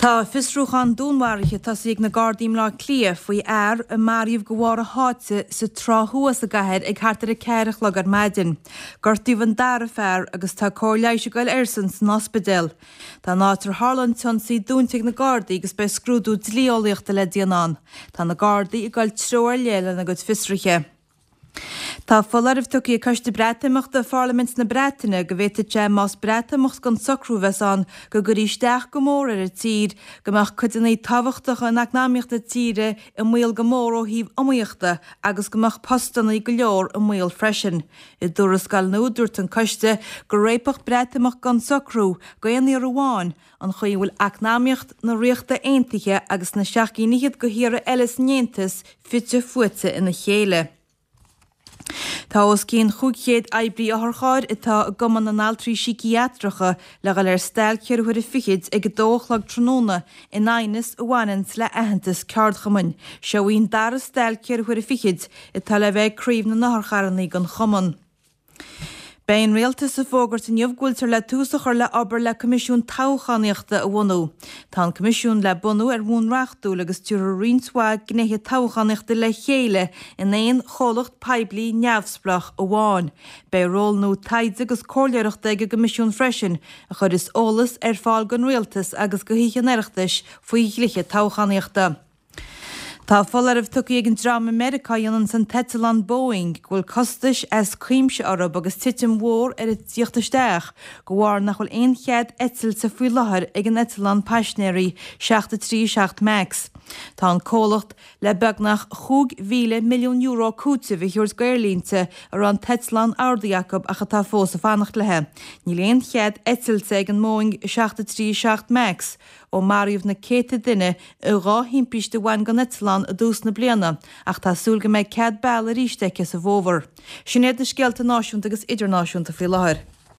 Tá fiosrúchán dúnmharaithe tosaithe ag na Gardaí i mBleá Cliath faoi fhear a maraíodh de bharr a sháite sa Trá Thuaidh sa gcathair ag thart ar 4 a chlog ar maidin. Gortaíodh an dara fear agus tá cóir leighis ag goil airsean san ospidéal. Tá an áit ar tharla an t-ionsaí dúnta ag na Gardaí agus beidh scrúdú dlí-eolaíochta le déanamh ann. Tá na Gardaí ag goil treo ar leith lena gcuid fiosruithe. Tá foláireamh tugtha ag Coiste Breatimeachta Pharlaimint na Breataine go bhféadfadh sé, más Breatimeacht gan socrú a bheas ann, go gcuirfí isteach go mór ar an tír, go mbeadh codanna tábhachtacha in eacnamaíocht na tíre i mbaol go mór ó thaobh iomaíochta agus go mbeadh postanna go leor i mbaol freisin. I dtuarascáil nua dúirt an coiste go réabfadh Breatimeacht gan socrú, d'aon iarraidh amháin, an chaoi a bhfuil eacnamaíocht na Ríochta Aontaithe agus na seacht gcinn fhichead de thíortha eile san Aontas fite fuaite ina chéile. Tá os cionn 500 oibrí otharchairr atá i gCumann na nAltraí Síciatracha le dhul ar stailc cheithre huaire fichid ag a dó a chlog tráthnóna in aighneas a bhaineanns le aitheantas ceardchumainn. Seo í an dara stailc cheithre huaire fichid atá le bheith ag craobh na n-otharcharrannaí den chumann. Beidh an Rialtas ag fógairt inniu go bhfuiltear le tús a chur le obair le Coimisiún Toghchánaíochta a bhunú. Tá an Coimisiún le bunú ar bhonn reachtúil agus tabharfar roinnt mhaith gnéithe toghchánaíochta le chéile in aon chomhlacht poiblí neamhspleách amháin. Beidh ról nua taighde agus comhairleoireachta ag an gCoimisiún freisin a chuirfeas eolas ar fáil don Rialtas agus do Thithe an Oireachtais faoi dhlíthe toghchánaíochta. Tá foláireamh tugtha ag an dream i Meiriceá a dhéananns an t-eitleán Boeing go bhfuil costais as cuimse orthu agus titim mhór ar an tíocht isteach de bharr nach bhfuil aon chead eitilte faoi láthair ag an eitleán paisnéirí 737 Max. Tá an comhlacht le beagnach €5,000 milliún cúitimh a thabhairt d'aerlínte a raibh an t-eitleán ordaithe acu ach atá fós ag fanacht léi. Níl aon chead eitilte ag an mBoeing 737 Max ó maraíodh na céadta duine i dá thimpiste a bhain don eitleán i dtús na bliana ach tá súil go mbeidh cead bealaigh arís aici sa bhfómhar. Sin iad na scéalta náisiúnta agus idirnáisiúnta faoi láthair.